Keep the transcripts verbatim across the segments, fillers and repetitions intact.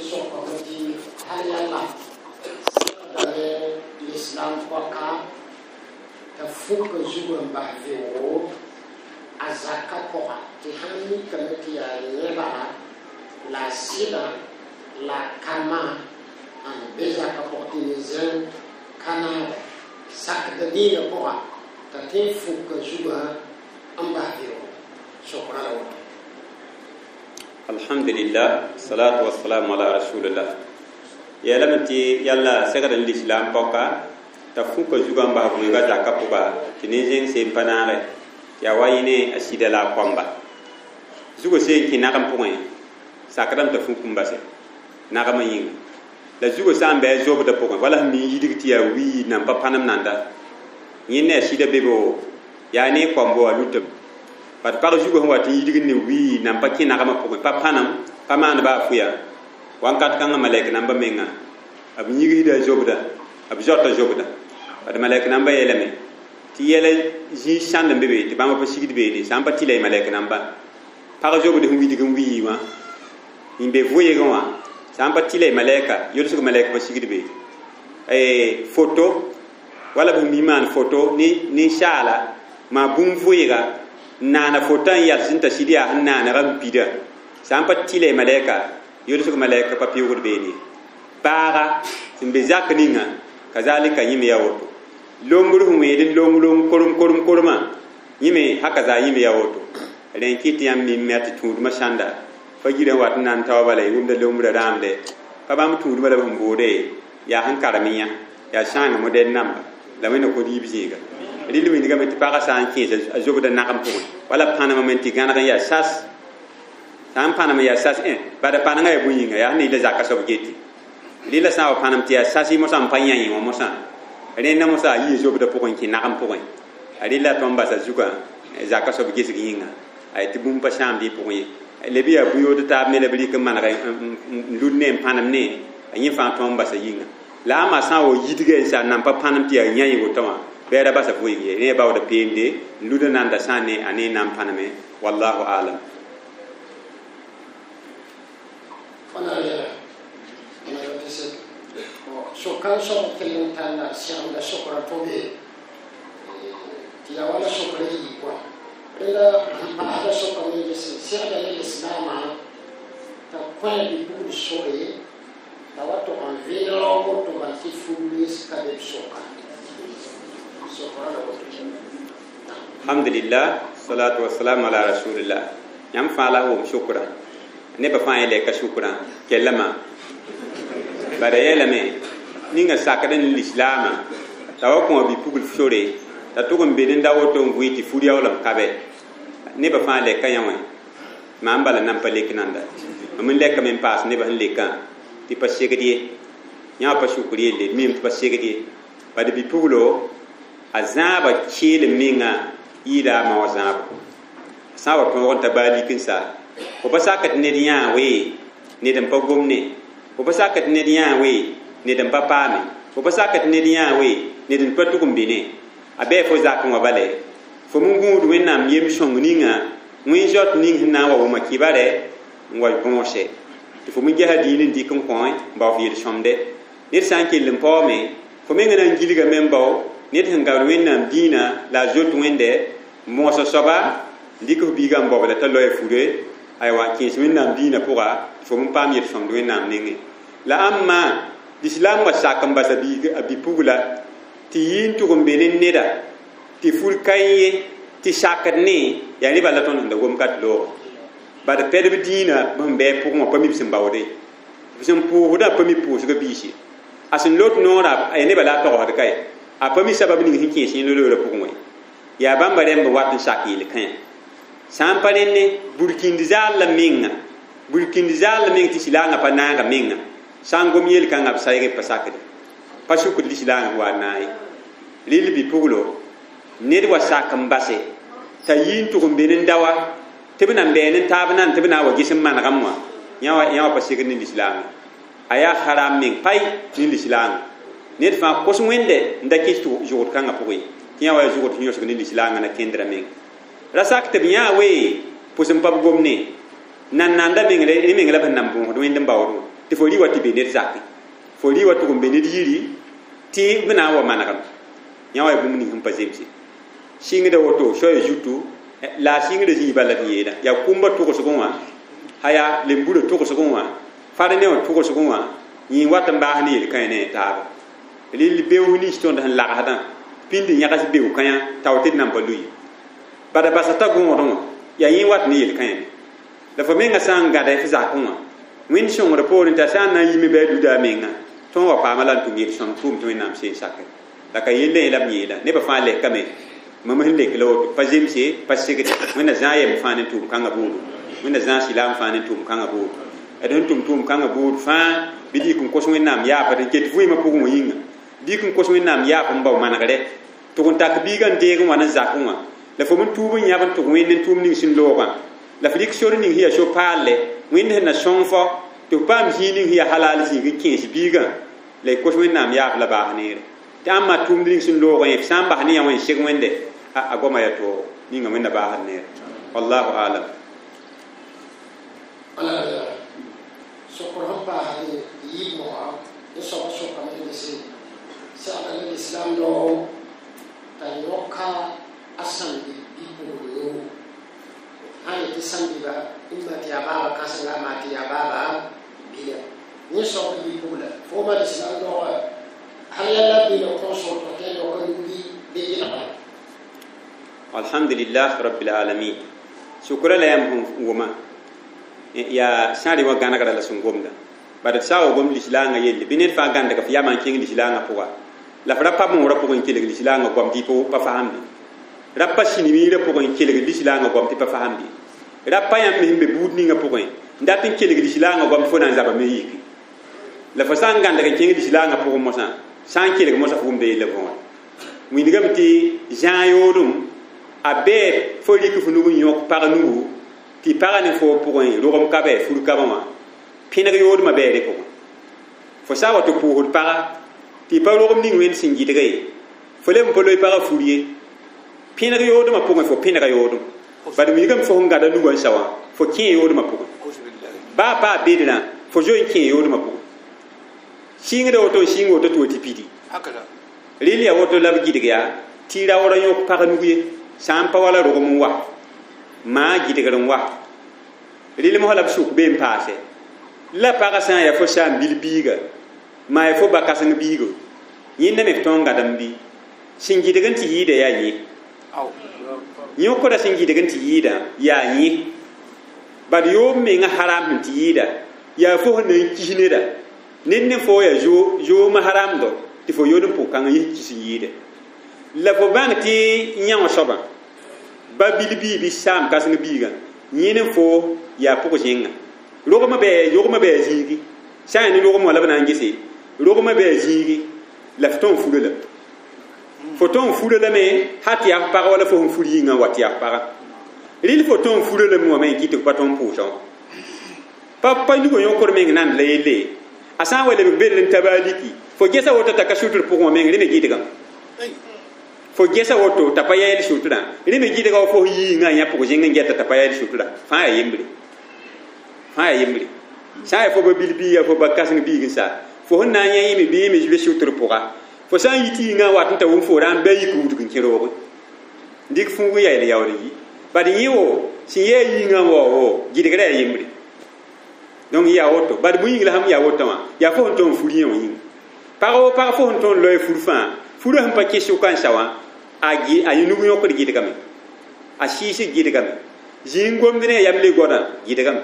Sokame tɩ hal yalla segdame l'islam pɔka t'a fuka zugã n bas vɩʋʋgo a zaka pʋga tɩ sãn mikame tɩ yaa yẽ bala la a sɩdã la a kama n be zaka pʋgã tɩ ne zẽn ka naaba sakda dĩinã pʋga t'a tõe n fuka zugã n bas vɩʋʋgo sokra la woto. Alhamdulillah, salatu wassalamu ala rasulillah. Yeelame tɩ yalla segd n lislaam pɔka t'a fuka zugã n bas vɩʋʋgã zaka pʋga tɩ nin-zẽng seen pa naage tɩ yaa wa yẽ ne a sɩda la a koamba zugã seen kẽ nagem pʋgẽ sakdame t'a fuk n base nagemã yĩnga la zugã sã n bɩ a zobdã pʋgẽ wala sẽn mi n yidg tɩ yaa wii nan pa pãnem nanda yẽ ne a sɩda bebo yaa ne koambo a lutame bad pag zugã sẽn wat n yidg ne wii nan pa kẽ nagemã pʋgẽ pa pãnem pa maan ba a fʋya wãnkat kãngã malɛk namba menga b yigsda zobda b zoata zobda bad malɛk namba yeelame tɩ yɛla zĩig sãnd n be be tɩ bãmba pa sigd beene sã n pa tɩla y malɛk namba pag zobd sẽn widg n wii wã n be vʋɩgẽ wã sã n pa tɩla y malɛka yolsg malɛk pa sigd be foto wala b mi maan foto ninsaala maa bũmb vʋɩga n naana fotã n yals n t'a sɩd yaa sẽn naanega n pida sã n pa tɩla y malɛka yolsg malɛka pa pɩʋgd beene baaga sẽn be zak ninga kazalika yĩme yaa woto lombr sẽn wẽed n long long korem korem kormã yĩme haka zaa yĩme yaa woto rẽ n kɩt tɩ yãmb mim tɩ tũudmã sãnda fa girã wat n na n taoa bala y wʋmda lombrã rãamde pa bãmb tũudmã la b sẽn boode yaa sẽn karem yã yaa sãanga modɛl namba la wẽnna kod yiib zĩiga rɩl wĩndgame tɩ pagã sã n kẽes a zobda nagem pʋgẽ wala pãnem me tɩ gãneg n yaa sas sã n pãnem n yaa sas bada pãnengã yaa bũn-yĩnga yaa sẽn ne la zaka soab geti rɩla sã n wa pãnem tɩ yaa sas mosã n pa yã yẽ wã mosã rẽnda mosã a yii zobda pʋgẽ kẽ nagem pʋgẽ a rɩla tõnd basa zugã zaka soab gesg yĩnga a tɩ bũmb pa sãamd y pʋgẽ ye leb yaa bũ-yood taab me la b rɩk n maneg n lud ne n pãnem ne a yẽ fãa tõnd basa yĩnga la a ma sã n wa yidga n sa nan pa pãnem tɩ yaa yã yẽ woto wã bɩ ra basa vʋɩg ye rẽ baooda peende n luda nanda sã n ne a ne n na n pãneme wallahu alam. Fãna yɛla tɩ sek sokan soab kell n talla sɛgemda sokra to be tɩ yaa wala sokra yii kɔa rẽnda n paasda sokame ges segda ne lislaamã t'a kõ bi-pugl sore t'a wa tog n vɩɩl raoog woto bal tɩ fugl ka be b soka sokra la woto. Alhamdulillah, salatu wassalamu ala rasulillah. Yãmb fãa la wʋm sʋkrã nebã fãa yẽ ka sʋkrã kellame bala yeelame ninga sakd n lislaamã t'a wa kõ bi-pugl sore t'a tʋg n be ne da woto n vʋɩ tɩ fur yaoolem ka bɛ nebã fãa lɛka yã wã maam bala nan pa lek nanda mam n lɛkame n paas nebã sẽn lekã tɩ pa segd ye yã wã pa sukr yelle mim tɩ pa segd ye bad bi-puglo a zãaba keelem menga yɩɩda a ma wã zãabo sã n wa tõog n ta baa lik n sa fo pa sak tɩ ned yãa wee ned n pa gomne fo pa sak tɩ ned yãa wee ned n pa paame fo pa sak tɩ ned yãa wee ned n pa tʋg n bene a bɩ fo zakẽ wã bale fo min gũud wẽnnaam yem sõng ninga wẽn zaot ning sẽn na n wa wʋma kibarɛ n wa bõose tɩ fo min gesa dĩin n dɩk n kõ n bao f yel-sõmde ned sã n kell n paoome fo menga na n gilgame n bao ned sẽn gabd wẽnnaam dĩinã la a zoet wẽnde moosã soaba n dɩk f biigã n baobda t'a loa fure aywa kẽes wẽnnaam dĩinã pʋga tɩ fo min paam yel-sõmd wẽnnaam nengẽ la ãmma lislaam wa sak n basa a bi-pugla tɩ yɩ n tʋg n be ne neda tɩ fur ka ye tɩ sakd ne yaa ne bala tõnd sẽn da gom ka tɩ looga bad pɛdb dĩinã b sẽn bɩ pʋgẽ wã pa mi b sẽn baoode b sẽn pʋʋsdã pa mi pʋʋsgã biise a sẽn lot noorã a nebã la a togsd ka ye a pa mi sabab ning sẽn kẽes yẽ loorã pʋgẽ wã yaa bãmba rẽmb wat n sak yel-kãyã sã n pa rẽnne burkĩnd zaal la menga burkĩnd zaal la meng tɩ silaangã pa naaga menga sã n gom yel-kãngã b sayg pa sakde pa sukd lislaangã wa n naag ye rɩl bi-puglo ned wa sak n base t'a yɩ n tʋg n be ne dawa tɩ b nan bɛɛ ne taab nan tɩ b na n wa ges n manegame wã yã wã pa segd ne lislaangã a yaa haram meng pai ne lislaangã ned fãa kos wẽnde n da kɩs zʋgd kãngã pʋgẽ tɩ yã wa yaa zʋgd sẽn yõsg ne lislaangã na kẽndrã meng ra sak tɩ b yãa wee pʋs n pa b gomne nan nanda meng ne meng la b sẽn nan bõosd wẽnd n baood wã Tɩ fo rɩ wa tɩ be ned zake, fo rɩ wa tʋg n be ned yiri tɩ b na n wa manegem yã wa ya bũmb ning sẽn pa zemse. Sɩngda woto soaya zutu la a sɩngda zĩig bala tɩ yeela yaa kũmbã tʋgsgẽ wã haya lemburã tʋgsgẽ wã far ne wã tʋgsgẽ wã yẽ wat n baas ne yel-kãe ne taaba. Rɩl beoos nins tõnd sẽn lagsdã pĩnd yãgs beo-kãyã tao tɩ d nan pa loe bada basa t'a gõodẽ wã yaa yẽ wat ne yel-kãe me. La fo menga sã n gãda f zakẽ wã wẽnd sõngr poorẽ t'a sã n na n yime bɩ a luda a menga tõnd wa paama la n tʋm yel-sõm tʋʋm tɩ Wẽnnaam seen sake. La ka yelle yẽ la b yeela nebã fãa lɛkame mam sẽn lek la woto pa zemse pa segde. Wẽnna zãag yɛm fãa ne tʋʋm kãngã buudu, Wẽnna zãag sɩlaam fãa ne tʋʋm kãngã buudu, d sẽn tʋm tʋʋm kãngã buud fãa bɩ dɩk n kos Wẽnnaam yaapa tɩ ket vɩɩmã pʋgẽ wã yĩnga dɩk n kos Wẽnnaam yaap n bao manegre tʋg n tak biigã n deeg n wa ne zakẽ wã la fo n tuub n yãb n tʋg Wẽnd n tʋʋm ning sẽn loogã la f rɩk sor ning sẽn yaa so-paalle Wẽnd sẽn na sõng fo tɩ f paam zĩig ning sẽn yaa halal zĩig n kẽes biigã la y kos Wẽnnaam yaaf la baas neere. Tɩ ãmba tʋʋmd ning sẽn loogã yẽ f sã n bas ne yã wã n seg Wẽnde a goama yaa tooogo ninga Wẽnna baasd neere. Wallahu alam. Sokr sẽn paasd yiib moga n soab sokame gese segda ne lislam dao t'a yõka a sãmbi bɩ-pugl nugu sã n yetɩ sãmbiba n ma tɩ yaa baaba kãsenga maa tɩ yaa baaba bila yẽ soab bɩ-pugla fooma lislam daoga hal yalla bila kõs woto tɩ a yõka nug bɩ yɩlga. Alhamdulillah rabbil alamin. Sukra la yãmb sẽn wʋma yaa sã n rɩ wã gãnegra la sẽn gomda bad d sã n wa gom lislaangã yelle bɩ ned fãa gãndga f yamã n kẽng lislaangã pʋga la f ra pa moorã pʋgẽ n kelg lislaangã goam tɩ pa fasemde, ra pa sĩnimiirã pʋgẽ n kelg lislaangã goam tɩ pa fasemde, ra pa yãmb sẽn be buud ninga pʋgẽ n dat n kelg lislaangã goam tɩ fo na n zabame yiki. La fo sã n gãndg n kẽng lislaangã pʋgẽ mosã sã n kelg mosã fo wʋmda yella võore. Wilgame tɩ zãag yoodem a bɛɛ fo rɩk f nug n yõk pag nugu tɩ pagã ne fo pʋgẽ rogem ka bɛ fur kabã wã pẽneg yoodmã bɛɛ rẽ pʋgẽ. Fo sã n wa tɩ pʋʋsd paga tɩ pa rogem ning Wẽnd sẽn gɩdga ye fo leb n pa loe pagã fur ye pẽneg yoodmã pʋgẽ fo pẽnega yoodem bad wilgame fo sẽn gãda nugã n sa wã fo kẽ yoodmã pʋgẽ baa paa bedrã fo zoe n kẽ yoodmã pʋgẽ. Sɩngda woto n sɩng woto tɩ wa tɩ pidi rɩl yaa woto la b gɩdg yaa tɩ raoora yõk pag nug ye sã n pa wala rogem n wa maa gɩdgr n wa rɩlem sã la b sʋk bee n paase la pagã sã n yaa fo saam bil biiga maa yaa fo ba kãseng biigo yẽnda me f tõog n gãdem bɩ sẽn gɩdg n tɩ yɩɩda yaa yẽ yõkra sẽn gɩdg n tɩ yɩɩdã yaa yẽ bad yoob menga haram sẽn tɩ yɩɩda yaa fo sẽn na n kis neda ned ne fo yaa zoomã haramdo tɩ fo yood n pʋg kãngã yẽ kis n yɩɩda la fo bãng tɩ yãoo soabã ba bil bii bɩ saam kãseng biigã yẽ ne fo yaa pʋg-zẽnga rogmã bɩ rogmã bɩ a zĩigi sã n yaa ne rogem wã la b na n gese rogmã bɩ a zĩigi la f tõog n fura lame fo tõog n fura lame ha tɩ yaa f pagã wala fo sẽn fur yĩngã wa tɩ yaa f pagã rɩl fo tõog n fura lame wã me n kɩt tɩ f pa tõog n pʋʋsã wã pa pa nugã yõkr meng nand la yelle a sã n wa lebg bel n ta baa liki fo gesa woto t'a ka sʋtr pʋgẽ wã meng rẽ me gɩdgame fo gesa woto t'a pa yɛɛl sʋtrã rẽ me gɩdga wa fo yĩngã yã pʋg-zẽng n gɛta t'a pa yɛɛl sʋtrã fãa yaa yembre fãa yaa yembre sã n yaa fo ba bil biiga fo ba kãseng biig n sa fo sẽn na n yã yẽme bɩ yẽme le sʋtr pʋga fo sã n yi tɩ yĩngã wat n ta wʋm fo ra n bɩ a yik wudg n kẽ roogẽ dɩk fũug n yael yaool n yi bad yẽ wo sẽn yɛɛ yĩngã wa wo gɩdgrã yaa yembre donc yaa woto bad bũmb yĩng la sãm yaa wotã wã yaa fo sẽn tõog n fur yẽ wã yĩnga pag wo pag fo sẽn tõog n loe fur fãa furã sẽn pa kẽ sʋka n sa wã a a yẽ nug yõkd gɩdgame a sɩɩsg gɩdgame zĩig gomd ne a yam le goadã gɩdgame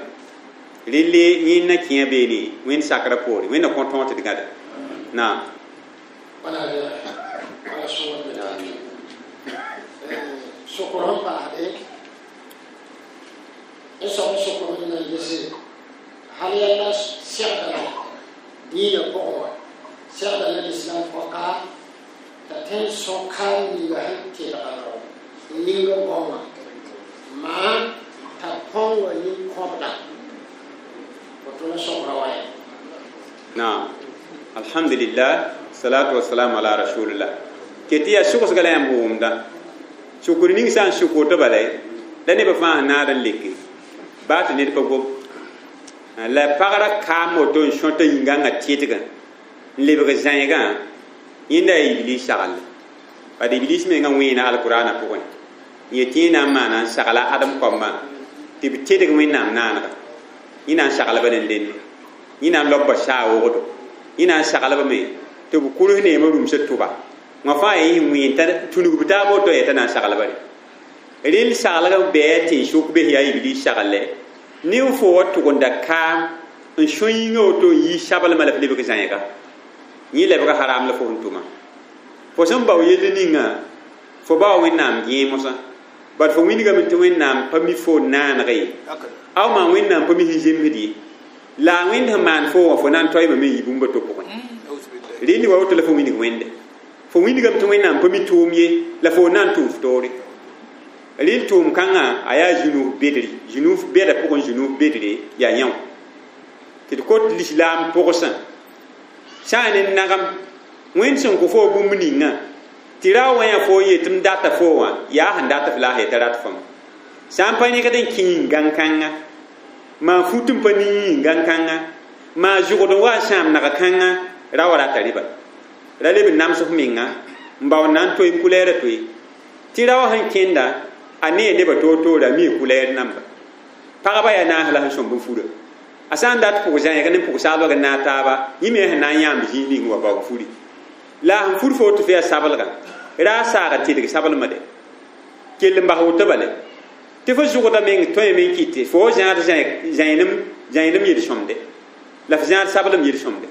relle yẽnna kẽa beene Wẽnd sakrã poore Wẽnna kõ tõog tɩ d gãda naam. Sokr sẽn paasde n soab sokr n na n gese hal yalla segda la diinã pʋgẽ wã segda la lislam pɔka t'a tõe n sõka ninga sẽn telga ninga goamã maa t'a põnga nin-kõbda woto la sokra wa yaa. Naam, alhamdulillah, salatu wassalamu ala rasulillah. Ket tɩ yaa sʋgsga la yãmb wʋmda sukr ning sã n sʋk woto bala la nebã fãa sẽn naad n leke baa tɩ ned pa gom La pagra kaam woto n sõta yĩngãngã tɩdgã n lebg zãegã yẽnda yaa iblis sagl bad iblis menga wẽena alkurana pʋgẽ n yet yẽ na n maana n sagla adem koambã tɩ b tedg wẽnnaam naanega yẽ na n saglba ne lenne yẽ na n laobba saa wogdo yẽ na n saglba me tɩ b kurs neemã rũmsã tʋba wã fãa yaa yẽ wẽen t'a tũnug b taab woto yaa t'a na n saglba re rel saglg bɛɛ tẽn-sʋk bes yaa iblis sagle ne fo wa tʋgenda kaam n sõ yĩngã woto n yi sablmã la f lebg zãega yẽ lebga haram la fo sẽn tʋma fo sẽn bao yell ninga fo bao wẽnnaam gẽe mosã bad fo wilgame tɩ wẽnnaam pa mi fo naaneg ye aw maan wẽnnaam pa mi sẽn zemsd ye la a wẽnd sẽn maan fo wã fo na n toeeme me n yi bũmba to pʋgẽ rẽnd wa woto la fo wilg wẽnde fo wilgame tɩ wẽnnaam pa mi tʋʋm ye la fo na n tʋʋm f toore rẽnd tʋʋm kãngã a yaa zũnuf bedre zũnuf bɛda pʋgẽ zũnuf bedre yaa yão tɩ d kot lislaam pʋgsã sã n ne nagem wẽnd sẽn kõ fo bũmb ninga tɩ ra wã yã fo n yet m data fo wã yaa sẽn dat f la a yeta rat fõm sã n pa rẽgd n kẽ yĩn-gãn-kãnga maa fut n pa ning yĩn-gãn-kãnga maa zʋgd n wa n sãam nag kãnga ra wa rata rɩba ra leb n nams f menga n bao n na n toe n kulɛɛrã toe tɩ ra wã sẽn kẽnda a nee nebã toor-toore a mi kulɛɛr namba pagba yaa naas la sẽn sõmb n fura a sã n dat pʋg zãeg ne pʋg saalbg n naag taaba yẽ me sẽn na n yãmb zĩig ning wa baoog furi la sẽn fur fo tɩ f yaa sablgã ra a saaga tɩdg sablmã de kell n bas woto bale tɩ fo zʋgda meng tõeme n kɩte fo zãad zãenem yel-sõmde la f zãad sablem yel-sõmde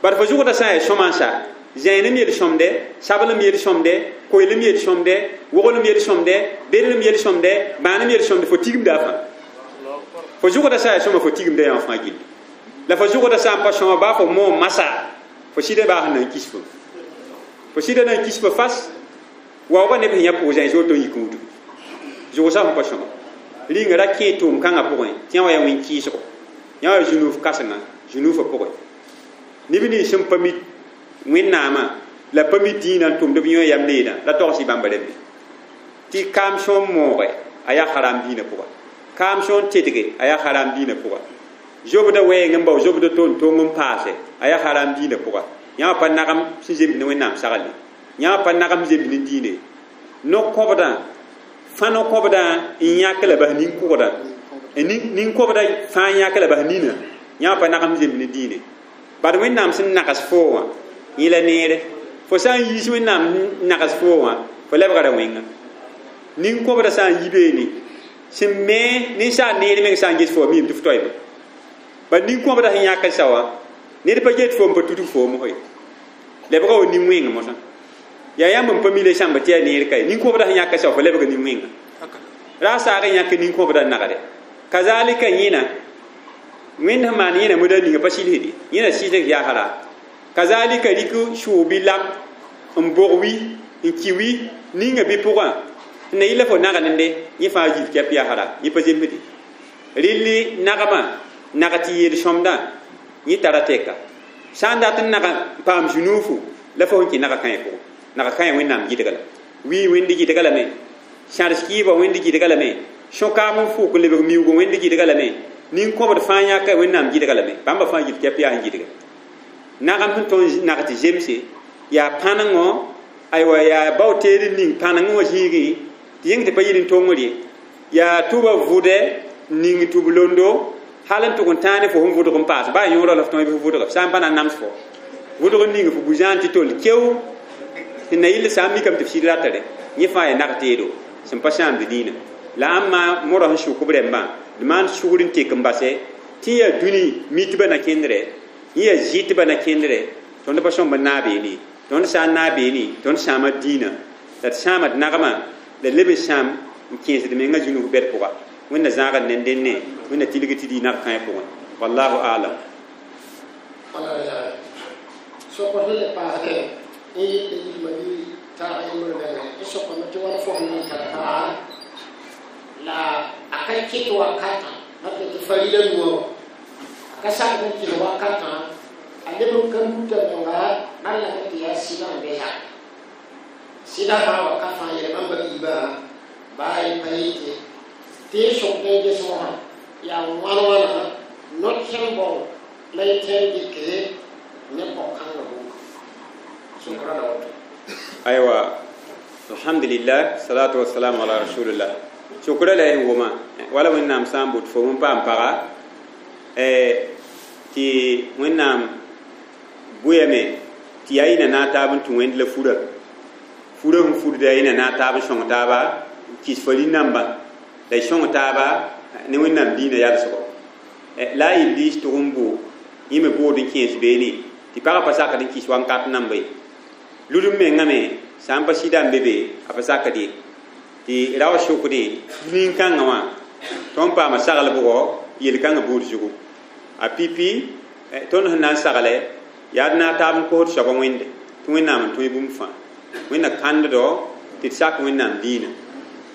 bad fo zʋgda sã n yaa sõma n sa zãenem yel-sõmde sablem yel-sõmde koeelem yel-sõmde woglem yel-sõmde bedlem yel-sõmde bãanem yel-sõmde fo tigimda a fãa fo zʋgda sã n yaa sõma fo tigimda yã fãa gilli la fo zʋgda sã n pa sõma baa fo moom masa fo sɩda baa sẽn na n kis fo fo sɩda na n kis fo fas waoogã neb sẽn yã pʋg zãens woto n yik n wudg zʋgsa sẽn pa sõma rĩnga ra kẽe tʋʋm kãngã pʋgẽ tɩ yã wa yaa wẽn-kɩɩsgo yã wa zũnuf kãsenga zũnufã pʋgẽ neb nins sẽn pa mi wẽnnaamã la pa mi dĩinã n tʋmd b yõ yam leedã la togs-y bãmba rẽmbe tɩ kaam sõm mooge a yaa haram dĩinã pʋga kaam sõn tedge a yaa haram dĩinã pʋga zobda wɛɛng n bao zobda ton tong n paase a yaa haram dĩinã pʋga yã pa nagem sẽn zemd ne wẽnnaam sagl ye yã pa nagem zemd ne dĩine no-kõbdã fã no-kõbdã n yãk la bas nin-kʋgdã nin-kõbda fãa yãk la bas nina yã pa nagem zemd ne dĩine bad wẽnnaam sẽn nags fo wã yẽ la neere fo sã n yiis wẽnnaam nags fo wã fo lebgra wẽnga nin-kõbda sã n yi beene sẽn me ninsaal neer meng sã n ges fo miime tɩ f toeeme bad nin-kõbda sẽn yãk n sa wã ned pa get fo n pa tudg foom ye lebga wa nin-wẽng mosã yaa yãmb n pa mi le sãmba tɩ yaa neer ka ye nin-kõbda sẽn yãk n sa wã fo lebga nin-wẽnga ra saag n yãk nin-kõbda n nagde kazalika yẽna wẽnd sẽn maan yẽna moda ninga pa silsd ye yẽna sɩsg yaa hara kazalika rɩk sʋʋg bɩ lam n bog wi n ki wi ninga bɩ pʋgã sẽn na yɩla fo naglende yẽ fãa yil kɛp yaa hara yẽ pa zemsde rɩlli nagmã nag tɩ yel-sõmdã yẽ tara tɛka sã n dat n nag n paam zũnuufu la fo sẽn kẽ naga kãe pʋgẽ naga kãe wẽnnaam gɩdga la wii wẽnd gɩdga lame sãrs kɩɩbã wẽnd gɩdga lame sõ-kaam n fʋʋk n lebg miuugã wẽnd gɩdga lame nin-kõbd fãa yãka wẽnnaam gɩdga lame bãmba fãa yil kɛp yaa sẽn gɩdga nagem sẽn tõnd nag tɩ zemse yaa pãnengõ aywa yaa bao teed n ning pãnengẽ wã zĩigẽ tɩ yẽng tɩ pa yɩl n tongr ye yaa tʋba vʋdɛ n ning tʋb londo hal n tʋg n tãane fo sẽn vʋdg n paas baa yõorã la f tõe bɩ f vʋdga sã n pa na n nams fo vʋdg n ning fo bu-zãan tɩ tol keo sẽn na yɩl sã n mikame tɩ f sɩd ratare yẽ fãa yaa nag teedo sẽn pa sãamd dĩinã la ãmba modg sẽn sʋk b rẽmbã d maan sugr n tek n basɛ tɩ yaa dũni mitbã na kẽndrɛ yẽ yaa zɩtbã na kẽndrɛ tõnd pa sõmb n naag beene tõnd sã n naag beene tõnd sãama dĩinã la d sãama d nagmã la leb n sãam n kẽesd mengã zũnug bɛd pʋga wẽnna zãagd ne dẽnne wẽnna tilg tɩ dɩ nag kãe pʋgẽ wallahu alam sokr sẽn le paasdẽ n yɩl yilma bɩ taag yembr bɛlgẽ n sokame tɩ wãna fo sẽn n tar paga la a ka ket wakatã mat tɩ farida nuwã a ka sak n kɩs wakatã a leb n ka luta menga maan lame tɩ yaa sɩdã n bɩsa sɩdã fãa waka fãa yɛl bãmba biibã baa y pa yete tɩ y sokd n ges wã yaa wãn wãna No-kẽem bao la y tẽn dɩke ne pɔg-kãngã bũmb sokra la woto. Aywa, alhamdulillah, salatu wassalamu ala rasulillah. Sokra la y wʋma wala Wẽnnaam sã n bot fo n paam paga tɩ Wẽnnaam bʋyame tɩ yaa yĩna naag taab n tũ Wẽnd la fura fura sẽn fudda yaa yĩna naag taab n sõng taaba kɩs fa rĩ-namba la y sõng taaba ne Wẽnnaam diinã yalsgo la a Iblis tʋg n bʋ yẽ me bood n kẽes beene tɩ pagã pa sakd n kɩs wankat namba ye lud n mengã me sã n pa sɩda n be be a pa sakd ye tɩ rao sʋkdẽ nin-kãngã wã tõnd paama saglbgɔ yel-kãngã buud zugu a pipi tõnd sẽn na n sagle yaa d naag taab n kosd soaba Wẽnde tɩ Wẽnnaam n tõe bũmb fãa Wẽnna kãnddo tɩ d sak Wẽnnaam diinã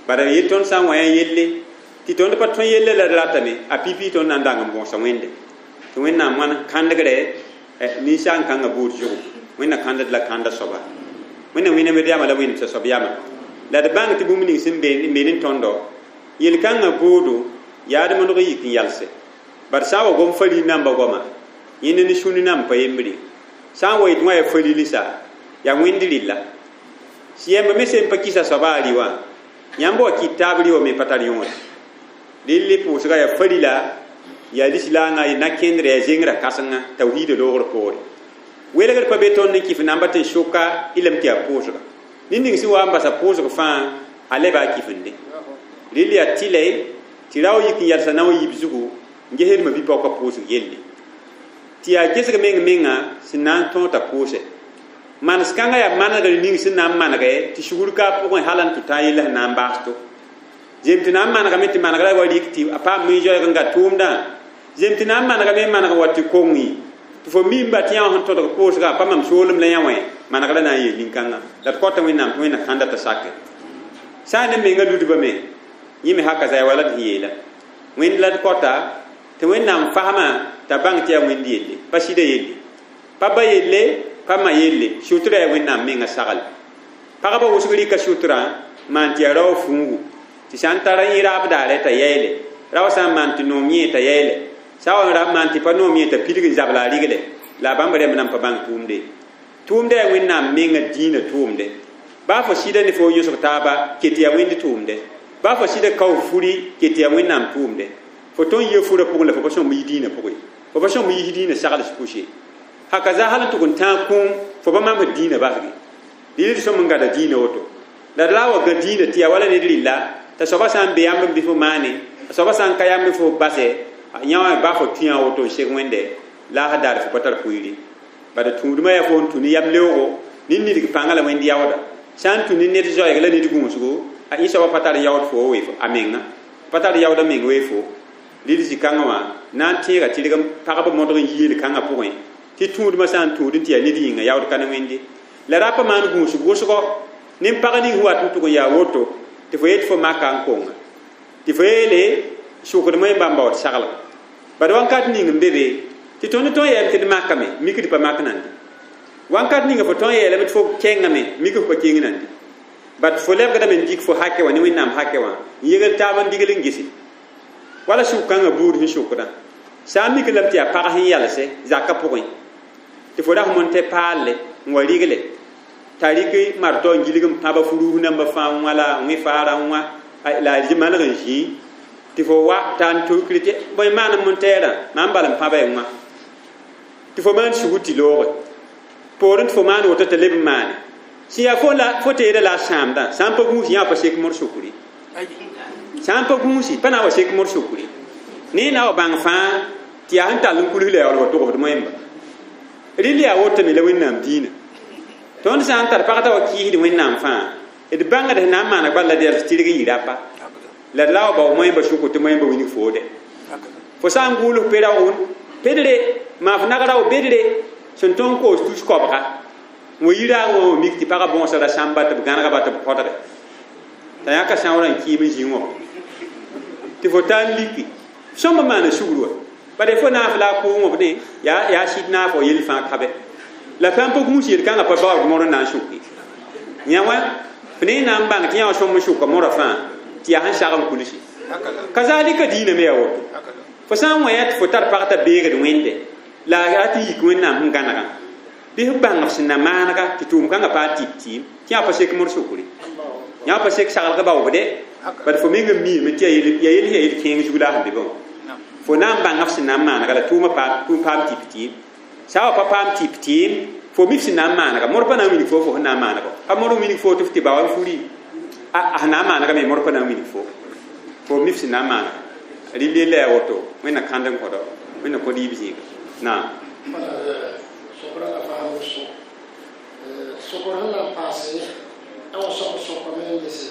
bara yel tõnd sã n wa yã yelle tɩ tõnd pa tõe yelle la d ratame a pipi tõnd na n dang n bõosa Wẽnde tɩ Wẽnnaam wãn kãndgre ninsaan-kãngã buud zugu Wẽnna kãndd la kãnda soaba Wẽnna wẽnnaam d yama la wẽnemsa soab yama la d bãng tɩ bũmb ning sẽn be n tõndo yel-kãngã boodo yaa d modg yik n yalse bar sã n wa gom faril namba goama yẽnd ne sũni namb pa yembre sã n wa yetɩ wã yaa farilsa yaa Wẽnd rɩlla yɛmb me sẽn pa kɩsa soaba a rɩ wã yãmb wa kɩt taab rɩ wã me pa tar yõore rɩl pʋʋsga yaa farila yaa lislaangã na-kẽndrã yaa zengrã kãsenga tawhiida loogr poore welgr pa be tõnd n kɩf namba tɩ n sʋka y lame tɩ yaa pʋʋsga ned ning sẽn wa n basa pʋʋsg fãa a leba a kɩfende rɩl yaa tɩlɛ tɩ rao yik n yalsa na wa yib zugu n gesdmã bi-paoka pʋʋsg yelle tɩ yaa gesg meng menga sẽn na n tõog t'a pʋʋsɛ manes kãngã yaa manegr ning sẽn na n manegɛ tɩ sugr ka a pʋgẽ hal n tʋ tã yella sẽn na n baas to zem tɩ na n manegame tɩ manegrã wa rɩk tɩ a paam min-zoɛɛg n ga tʋʋmdã zem tɩ na n manegame n maneg wa tɩ kong tɩ fo mimba tɩ yã wã sẽn tõdg pʋʋsga pa mam soolem la yã wã manegrã na n yeel nin-kãngã la d kõta Wẽnnaam tɩ Wẽnna kãnda t'a sake sã n ne menga ludbã me yẽ me haka zaya wala d sẽn yeela Wẽnd la d kõta tɩ Wẽnnaam fasmã t'a bãng tɩ yaa Wẽnd yelle pa sɩda yelle pa ba yelle pa ma yelle sutra yaa Wẽnnaam menga sagl pagba wʋsg rɩka sutrã maan tɩ yaa rao fuugu tɩ sã n tara yẽ raab daarɛ t'a yɛɛle rao sã n maan tɩ noom yẽ t'a yɛɛle sã n wa ra maan tɩ pa noom yẽ t'a pidg n zabla a rigle la a bãmb rẽmb nan pa bãng tʋʋmde tʋʋmdã yaa Wẽnnaam menga dĩinã tʋʋmde baa fo sɩda ne fo yõsg taaba ket yaa Wẽnd tʋʋmde baa fo sɩda kao furi ket yaa Wẽnnaam tʋʋmde fo tõnd yɩ furã pʋgẽ la fo pa sõmb yi dĩinã pʋgẽ fo pa sõmb yis dĩinã sagls pʋse haka za hal n tʋg n tãag kũum fo pa mamsd dĩinã basge rɩl d sõm n gada dĩinã woto la d la wa gã dĩinã tɩ yaa wala ned rɩlla t'a soaba sã n be yãmb n bɩ fo maane a soaba sã n ka yãmb fo basɛ yã wã ba fo tũ yã woto n seg Wẽnde la a daar fo pa tar pʋɩɩre bad tũudmã yaa fo n tũ ne yam leoogo ned nidg pãngã la Wẽnd yaooda sã n tũ ne ned zoɛɛg la ned gũusgo a yẽ soaba pa tar yaood fo wee a menga pa tar yaooda meng wee fo rɩl zĩ-kãngã wã na n tẽega tɩrg n pagb modg n yi yel-kãngã pʋgẽ tɩ tũudmã sã n tũud n tɩ yaa ned yĩnga yaood ka ne Wẽnde la ra pa maan gũusg wʋsgo nin-pag ning sẽn wat n tʋg n yaa woto tɩ fo yet fo maka n konga tɩ fo yeele sʋkdmã y bãmba wat saglg bad wãnkat ning n be be tɩ tõnd tõe n yeelame tɩ d makame mik d pa mak nande wãnkat ninga fo tõe n yeelame tɩ fo kẽngame mik f pa keng nande bat fo lebgdame n dɩk fo hake wã ne Wẽnnaam hake wã n yegl taab n digl n gese wala sʋk-kãngã buud sẽn sʋkdã sã n mik lame tɩ yaa pag sẽn yalse zakã pʋgẽ tɩ fo ras mon tɩ paalle n wa rigle t'a rɩk martɔ n gilg n pãba furuus namba fãa wã la wẽ faarã wã la a maneg n zĩi tɩ fo wa t'a n tukr tɩ bõe maan n tɛɛrã maan bal n pãba y wã tɩ fo maan sugr tɩ looge poorẽ tɩ fo maan woto t'a leb n maane sẽn yaa fo la fo teeda la a sãamdã sã n pa gũus yã pa sek mor sukri sã n pa gũusi pa na n wa sek mor sukri ne na wa bãng fãa tɩ yaa sẽn tall n kuls la yaool wa togsd moẽmba rɩl yaa wotame la Wẽnnaam dĩinã tõnd sã n tar pag t'a wa kɩɩsd Wẽnnaam fãa d bãngd sẽn na n maaneg bal la d yals tɩrg n yɩ rapa la d la wa bao moẽmba sʋko tɩ moẽmba wilg foode fo sã n gʋʋls pe-raoogn pedre maa f nag rao bedre sẽn tõnd koos tus koabga n wa yi raag wã wa mik tɩ pagã bõosra sãmba tɩ b gãnegba tɩ b kõdge t'a yãka sãoorã n kɩɩm n zĩ wã tɩ fo taa n liki sõmb maana sugr wa bad fo naaf la a kʋʋng b ne yaa yaa sɩd naaf wa yell fãa kabe la sã n pa gũus yel-kãngã pa baood mor n na n sʋke yã wã f ne na n bãng tɩ yã wã sõm n sʋka morã fãa tɩ yaa sẽn sag n kulsi kazalika diinã me yaa woto Fo sã n wã tɩ fo tar pag t'a beegd wẽnde la a tɩ yik wẽnnaam sẽn gãnegã bɩ f bãng f sẽn na maanega tɩ tʋʋm kãngã paa tɩp tɩɩm tɩ yã pa sek mor sukri yã pa sek saglg baoobde bad fo meng n miime tɩ ya yel ya yel kẽeng zug la sẽn be bã fo na n bãng f sẽn na n maanega la tʋʋmã paam paam tɩp tɩɩm sã wa pa paam tɩp tɩɩm fo mi f sẽn na n maanega mor pa na n wilg fo fo sẽn na n maanega pa mor n wilg fo tɩ f tɩ ba wa n furi a sẽn na n maanega me mor pa na n wilg fo fo mi f sẽn na n maanega rɩl yella yaa woto wẽnna kãnd n kõdo wẽnna kõ rɩɩb zĩiga naam sokra la faam so sokr sẽn na n paase a wa soab sokame n gese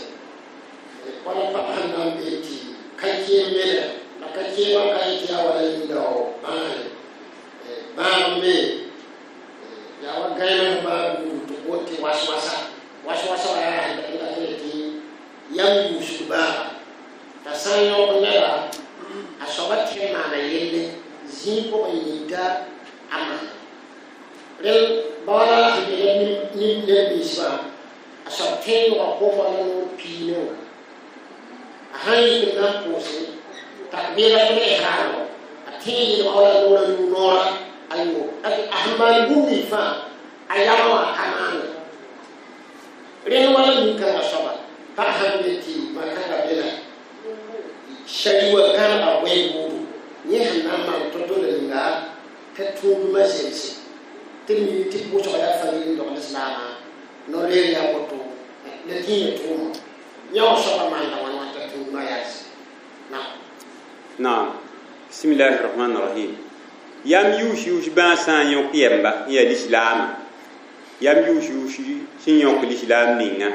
wala pag sẽn na n bee tɩ ka keen mele la ka keemã ka yetɩ yaa wala yĩnga bãagre bãag n be yaa wa gãeem bãag buud tɩ boond tɩ was-wasa was-wasa wa yaa sẽn dat n tɩ yam yuusd bãaga t'a sã n yõk neda a soaba tẽ n maana yelle zĩig pʋgẽ yita a maana rel ba wala sẽn be neb ninsbã a soab tẽ n yõga kooma la noor piine wã a sãn yik n na n pʋʋse takbiratul ihram a tẽ n yelga wala noora yʋ noora a yo a sẽn maan bũmb ning fãa a yama wã ka maane rẽnd wala nin-kãngã soaba pag sãn be tɩ ma-kãngã be la shari wa gãnega bõe buudu yẽ sẽn na n maan to-to la ninga t'a tũudmã zemse tɩ d mi tɩ pʋʋsga yaa fa n dogl islaamã no-leer yaa woto la dĩinã tʋʋma yã wã soaba maanda wãn wã t'a tũudmã yalse naam naam bismillahi rahmani rahim yam yʋʋs yʋʋs bãag sã n yõk yɛmba n yaa lislaama yam yʋʋs yʋʋs sẽn yõk lislaam ninga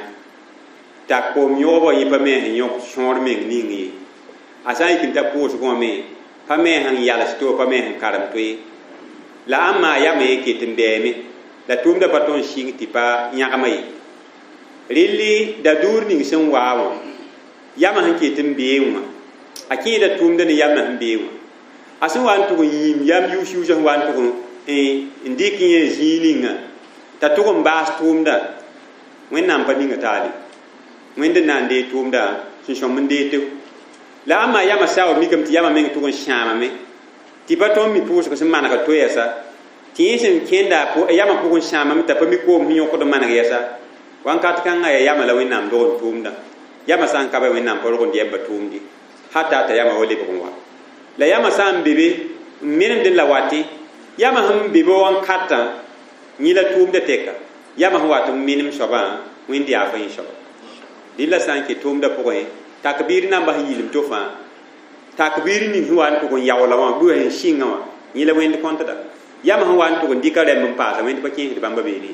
t'a kom yõgba yẽ pa me sẽn yõk sõor meng ning ye a sã n yik n ta pʋʋsgẽ wã me pa me sẽn yals to pa me sẽn karem to ye la ãmb maa yama ye ket n bɛɛme la tʋʋmda pa tõnd sɩng tɩ pa yãgma ye rɩlli da-duur ning sẽn waa wã yama sẽn ket n bee wã a kẽeda tʋʋmda ne yamã sẽn bee wã a sẽn wa n tʋg n yĩm yam yʋʋs yʋʋsã sẽn wa n tʋg n dɩk yẽ zĩig ninga t'a tʋg n baas tʋʋmda wẽnnaam pa ninga taale wẽnd n na n dee tʋʋmda sẽn sõm n dee tɩ la ãmb maa yama saoor mikame tɩ yama meng tʋg n sãamame tɩ pa tõnd mi pʋʋsg sẽn maneg to yɛsa tɩ yẽ sẽn kẽnda yama pʋgẽ sãamame t'a pa mi koom sẽn yõkd n maneg yɛsa wãnkat kãngã yaa yama la wẽnnaam dog n tʋʋmdã yama sã n ka ba wẽnnaam pa rog n dɩ b tʋʋmde hata t'a yama wa lebg n wa la yama sã n be be n menemdẽ la wate yama sẽn be be wãnkatã yẽ la tʋʋmda tɛka yama sẽn wat n menem soabã wẽnd yaa fa yẽ soaba dɩ la sã n ke tʋʋmda pʋgẽ takbir namba sẽn yilem to fãa takbir ning sẽn wa n tʋg n yaoola wã bʋa sẽn sɩngã wã yẽ la wẽnd kõntda yama sẽn wa n tʋg n dɩka rɛmb n paasa wẽnd pa kẽesd bãmba beene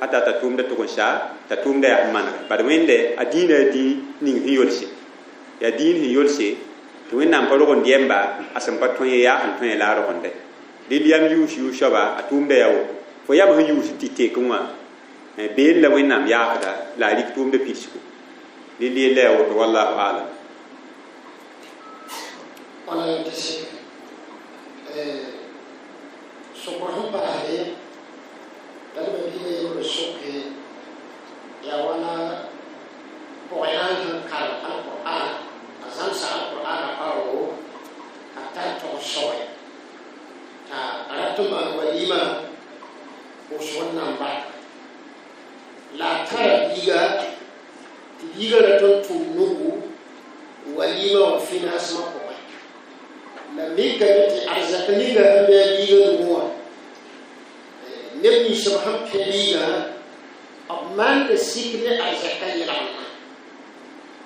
hata t'a tʋʋmda tʋg n sa t'a tʋʋmda yaa sẽn manega bad wẽnde a dĩinã yaa dĩin ning sẽn yolse yaa dĩin sẽn yolse tɩ wẽnnaam pa rog n dɩɛmba a sẽn pa tõe yaa sẽn tõe la a rogende dɩl yam yʋʋs yʋʋs soaba a tʋʋmda yaa woto fo yam sẽn yʋʋs tɩ tekẽ wã been la wẽnnaam yaafda la a rik tʋʋmda pidsgo dɩl yella yaa woto wallahu alam wala tɩ sɩk sokr sẽn paasde la d ba-biigã yembr soke yaa wala pʋgẽ sẽn karem alqur'an a zãmsa alqur'ana paoogo a tar tog soe t'a rat n maan walima pʋʋsg n nan barka la a tara biiga tɩ biiga rat n tʋm nugu walima wã financement pʋgẽ la mikame tɩ arzak ninga sẽn be a biiga nugu wã neb ninsb sẽn pẽ biigã b maanda sik ne arzaka yelgemdã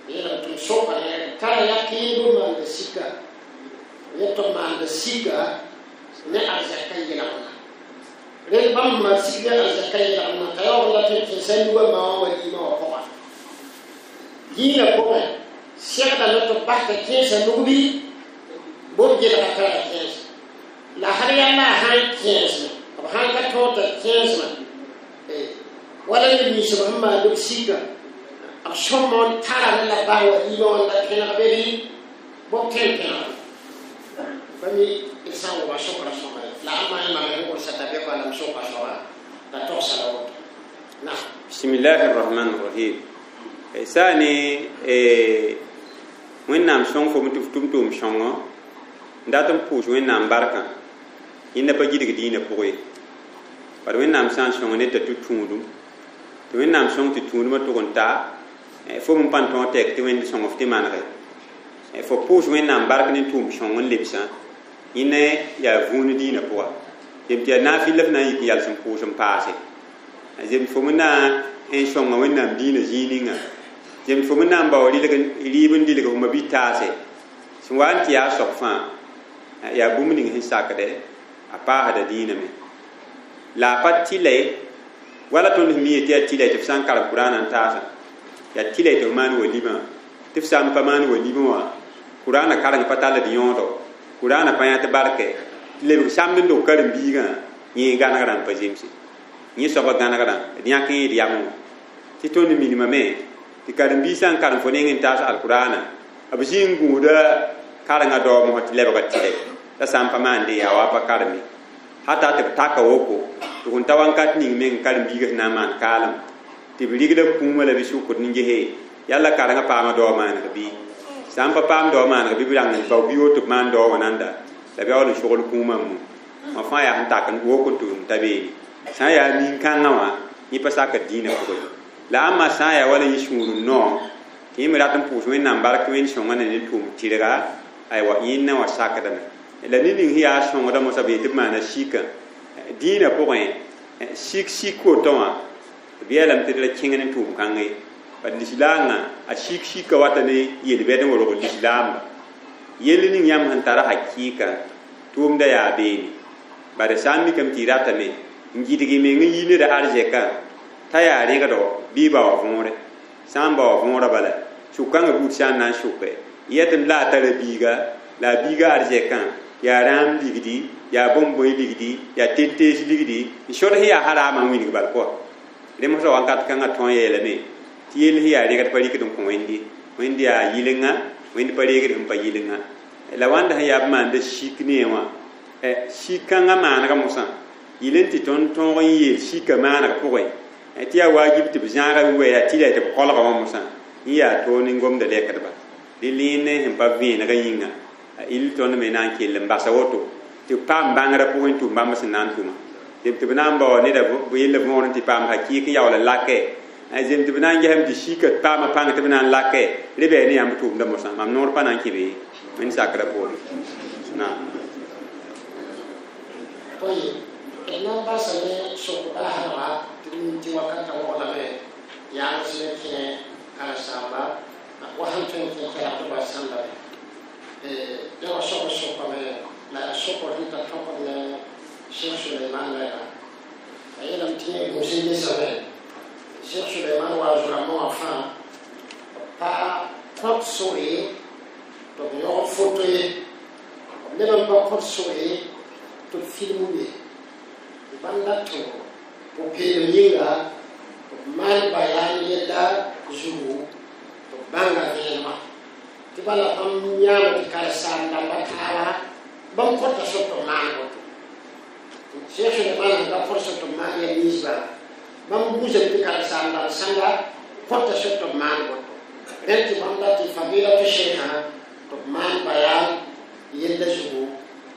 yelg tɩ m soka tara yakɩɩb n maanda sika yẽ tɩ b maanda sika ne arzaka yelgemdã rẽnd bãmb maan sik ne arzaka yelgemdã t'a yaoog la tɩ kẽesa nugã maa wã walima wã pʋga dĩinã pʋgẽ segdame tɩ b bas t'a kẽesa nug bɩ bõmb gelga tara kẽes la hal yalla a sãn kẽesme b sãn ka tõog t'a kẽesmã wala neb ninsb sẽn maand b sika b sõma n tarame la bas walima wã la kẽneg be bɩ bõb tõe n kẽneg pa mi d sã n wʋma sokra sõma la a maa mam sẽn gʋlsa t'a be la m soka soaba la togsa la woto na bismillahi rahmani rahim saa ne wẽnnaam sõng fo tɩ f tʋm tʋʋm sõngo N dat n pʋʋs Wẽnnaam barkã yẽnda pa gilg dĩinã pʋgẽ ye bad Wẽnnaam sã n sõng ned t'a tʋ tũudum tɩ Wẽnnaam sõng tɩ tũudmã tʋg n ta fo m pa tõog tɛk tɩ Wẽnd sõng f tɩ manege fo pʋʋs Wẽnnaam bark ne tʋʋm sõng n lebsã yẽne yaa vũun dĩinã pʋga zem tɩ yaa naafɩl la f na n yik n yals n pʋʋs n paase zem fo me na n sõnga Wẽnnaam dĩinã zĩig ninga zem fo me na n bao rɩɩb n dilg f ma-bi-taase sẽn wa n tɩ yaa soab fãa yaa bũmb ning sẽn sakdɛ a paasda dĩinã me la a pa tɩla ye wala tõnd sẽn mi ye tɩ yaa tɩla tɩ f sã n karem Kʋraanã n taasã yaa tɩla tɩ f maan walima tɩ f sã n pa maan walima wã Kʋraanã kareng pa tall d yõodo Kʋraanã pa yã tɩ barkɛ tɩ lebg samd n dog karen-biigã yẽ gãnegrã n pa zemse yẽ soabã gãnegrã d yãk yẽ d yamẽ wã tɩ tõnd minimame tɩ karen-biig sã n karem fo neng n taas alkʋraanã b zĩ n gũuda karengã daoomsã tɩ lebga tɩlɛ t'a sã n pa maande yaa wa pa kareme hata tɩ b taka woko tɩ kõn ta wãnkat ning meng karen-biigã sẽn na n maan kaalem tɩ b rigda kũumã la bɩ sʋkd n gese yalla karengã paama dao maaneg bɩ sã n pa paam dao maaneg bɩ b rãng n bao bɩ woto b maan dao wã nanda la b yaool n sogl kũumã mu wã fãa yaa sẽn tak n wok n tʋʋm ta beene sã n yaa nin-kãngã wã yẽ pa sakd dĩinã pʋgẽ la ãmba sã n yaa wala yẽ sũur n noog tɩ yẽ me rat n pʋʋs Wẽnnaam bark tɩ Wẽnd sõnga na ne tʋʋm tɩrga aywa yẽnna wã sakdame la ned ning sẽn yaa sõngda mosã b yet tɩ b maana sika dĩinã pʋgẽ sik sik woto wã b yeelame tɩ d ra kẽng ne tʋʋm kãngã ye bad lislaangã a sik sika wata ne yel-bɛd n worg lislaamba yell ning yãmb sẽn tara hakɩɩka tʋʋmda yaa beene bad sã n mikame tɩ y ratame n gɩdg y meng n yi neda arzɛkã t'a yaa rẽgdo bɩ y bao võore sã n bao võorã bala sʋk-kãngã buud sã n na n sʋke yetem la a tara biiga la a biiga arzɛkã yaa rãam ligdi yaa bõn-bõe ligdi yaa ten-tees ligdi n sod sẽn yaa haraamã n wilg bal pʋga rẽ mosã wakat kãngã tõe yeelame tɩ yell sẽn yaa rẽgd pa rɩkd n kõ Wẽnd ye Wẽnd yaa yɩlenga Wẽnd pa reegd sẽn pa yɩlenga la wãnda sẽn yaa b maanda sik ne wã sik-kãngã maanegã mosã yɩl n tɩ tõnd tõog n yeel sika maaneg pʋgẽ tɩ yaa waajib tɩ b zãaga wɛ yaa tɩla tɩ b kolga wã mosã n yaa toog ne gomda lɛkdba dɩ lẽend sẽn pa vẽenegã yĩnga il tõnd me na n kell n basa woto tɩ b paam bãngrã pʋgẽ tʋm bãmb sẽn na n tʋma zem tɩ b na n bao neda yella võor n tɩ paam hakɩɩk n yaool n lakɛ zem tɩ b na n gesame tɩ sika paama pãng tɩ b na n lakɛ rẽ bɩ ne yãmb tʋʋmda mosã mam noor pa na n kẽ be Wẽnd sakrã poorẽ naam. طيب d na n basame sok baasdga tɩ d mi tɩ wakatã waglame yaams ne kẽ karen-saamba wa sẽn tõe n kẽ kɛlg tɩ wa sãndame ya wa sog sokame la yaa sokr sẽn tar tõkd ne Cheikh Suleiman wɛɛga a yeelame tɩ yẽ gũus n lesame Cheikh Suleiman wa zʋrãmbã wã fãa pa kõt sore tɩ b yõgd foto ye b leb n pa kõt sore tɩ b film be bãmb dat tɩ pʋ-peelem yĩnga b maan bayaan yella zugu tɩ b bãnga vẽenemã tɩ bala bãmb yãame tɩ karen-saam dãmba taaba bãmb kõta sor tɩ b maan woto Cheikh Suleiman sẽn ka kõt sor tɩ b maan yɛl ninsbã bãmb buusame tɩ karen-saam dãmb sãnga kõta sor tɩ b maan woto rẽnd tɩ bãmb dat tɩ fadilatu sheikã tɩ b maan bayaan yella zugu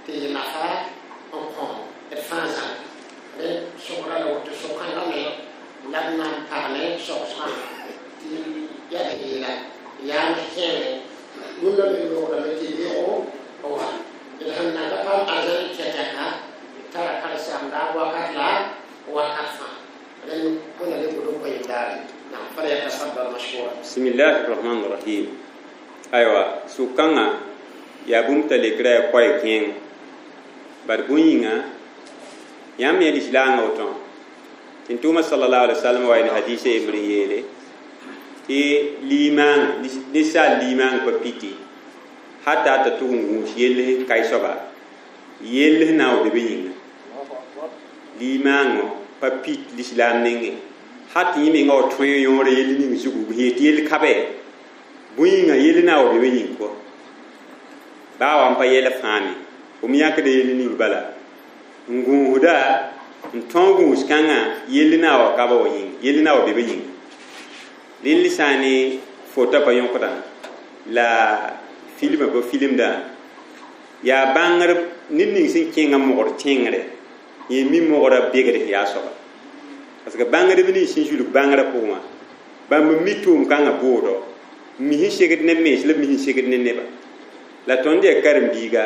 tɩ yɩ nafa n kõ d fãa zãnga rẽ sokra la woto so-kãngã me la b na n pagne sogsgã tɩ yaa d yeela yaam kẽere rũndã me loogdame tɩ beoogo wa d sẽn na ka paam arzãn kɛtɛka tara karen-saamda wakat la wakat fãa rẽnd wẽnna le gʋd n kõ yem daare nam فليتفضل مشكورا. بسم الله الرحمن الرحيم aywa sʋk-kãngã yaa bũmb t'a lekra yaa koɛɛ kẽeng bad bũn yĩnga yãmb yẽ lislaangã wotõ tɩ n tʋʋma sallallahu alaihi wasallam wa ne hadisa yembr n yeele tɩ liimaang ninsaal liimaang pa piti hata t'a tʋg n gũus yell sẽn kae soaba yell sẽn na n wa be be yĩnga liimaangõ pa pit lislaam nengẽ hat yẽ menga wa tõe yõore yell ning zugu b yet yell kabe bũn yĩnga yell na n wa be be yĩng kɔ baa wa n pa yɛl fãa me f me yãkda yell ning bala n gũusda n tõog gũus kãngã yell na wa ka ba wa yĩng yell na wa be be yĩnga rẽnd sã ne fota pa yõkdã la filmã pa filmdã Yaa bãngr ned ning sẽn kẽngã mogr tẽngre yẽ mi mogra begd sẽn yaa soaba parce que bãngdb nins sẽn zulg bãngrã pʋgẽ wã bãmb n mi tʋʋm-kãngã boodo n mi sẽn segd ne mens la b mi sẽn segd ne neba la tõnd yaa karen-biiga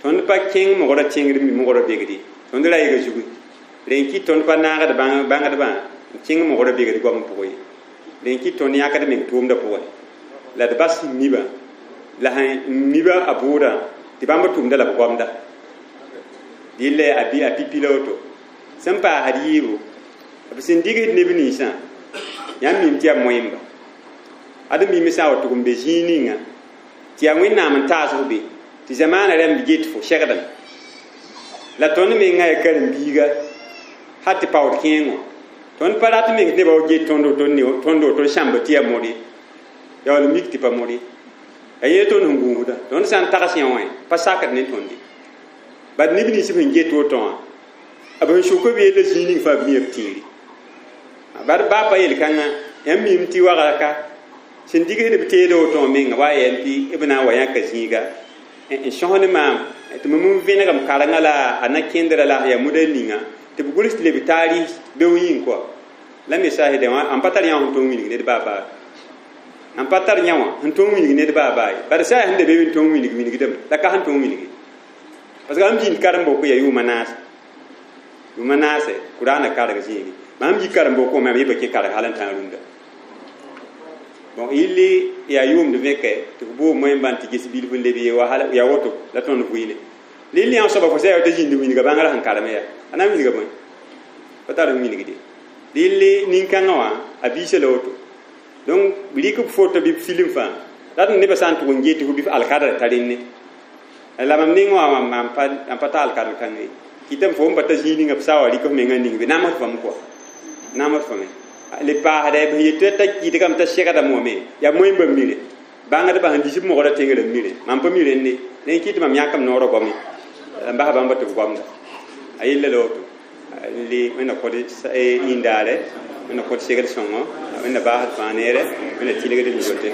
tõnd pa kẽng mogra tẽngr mi mogra begde tõnd ra yega zugu rẽ n kɩt tõnd pa naagd bãngdbã n kẽng mogra begd goam pʋgẽ ye rẽ n kɩt tõnd yãkd meng tʋʋmdã pʋgẽ la d bas sẽn miba la sẽn miba a bʋʋdã tɩ bãmb tʋʋmda la b goamda dɩlla a bi a pipi la woto sẽn paasd yiibu b sẽn digsd neb ninsã yãmb mim tɩ yaa moẽmba ad mim sã n wa tʋg n be zĩig ninga tɩ yaa wẽnnaam n taas f be tɩ zamaana rãmb get fo segdem la tõnd mengã yaa karen-biiga hal tɩ paood kẽengo tõnd pa rat meng nebã wa get tõnd tõnd woto n sãmb tɩ yaa mod ye yaa wall mik tɩ pa mod ye yaa yẽ tõnd sẽn gũusda tõnd sã n tags yã wã pa sakd ne tõnd ye bad neb nins b sẽn get woto wã b sẽn sʋk b yella zĩig ning fãa b mia b tĩiri bad baa pa yel-kãngã yãmb mim tɩ wagra ka sẽn digsd b teeda woto wã menga wa yɛl tɩ b na n wa yãka zĩiga n sõs ne maam tɩ mam n vẽnegem karengã la a na kẽndra la yaa muda ninga tɩ b gʋls tɩ leb taarɩs beo yĩng kɔa la me saasdã wã n pa tar yã wã sẽn tõog wilg ned baa baa n pa tar yã wã sẽn tõog wilg ned baa baa ye bad saa sẽn da be n tõog wilg wilgdame la ka sẽn tõog wilge parce que ãmb zĩnd karen-boko yaa yʋʋma naase yʋʋma naase kuraana karg zĩigi mam yi karen-boko wã mam yɩ kẽ karg hal n tãag rũndã bon yɩlli yaa yʋʋmd vẽkɛ tɩ f boog moẽmbã tɩ ges bilf n leb ye wa hal yaa woto la tõnd vɩɩne lilli yã soaba fo sã yaa t'a zĩnd wilga bãngrã sẽn karem yaa a na n wilga bõe pa tar n wilgde lilli nin-kãngã wã a biisa la woto donc rɩk b foto bɩ b film fãa rat nebã sã n tʋg n get fo bɩ f alkadr ta rẽnne la mam ning wã mam pa ta alkadr kãngã ye kɩtame fo n pa ta zĩig ninga b sa wa rɩk f mengã ning be namsd fame kɔa namsd fame le paasda b yet t'a kɩtgame t'a segdame wame yaa moẽmbã mire bãngdbã sẽn dis b mogra tẽngrã mire mam pa mi rẽnde rẽ kɩ tɩ mam yãkame noorã goame n bas bãmba tɩ b goamda a yella la woto le wẽnna kod yĩndaare wẽnna kod segd sõngo wẽnna baasd fãa neere wẽnna tɩlgd n yote.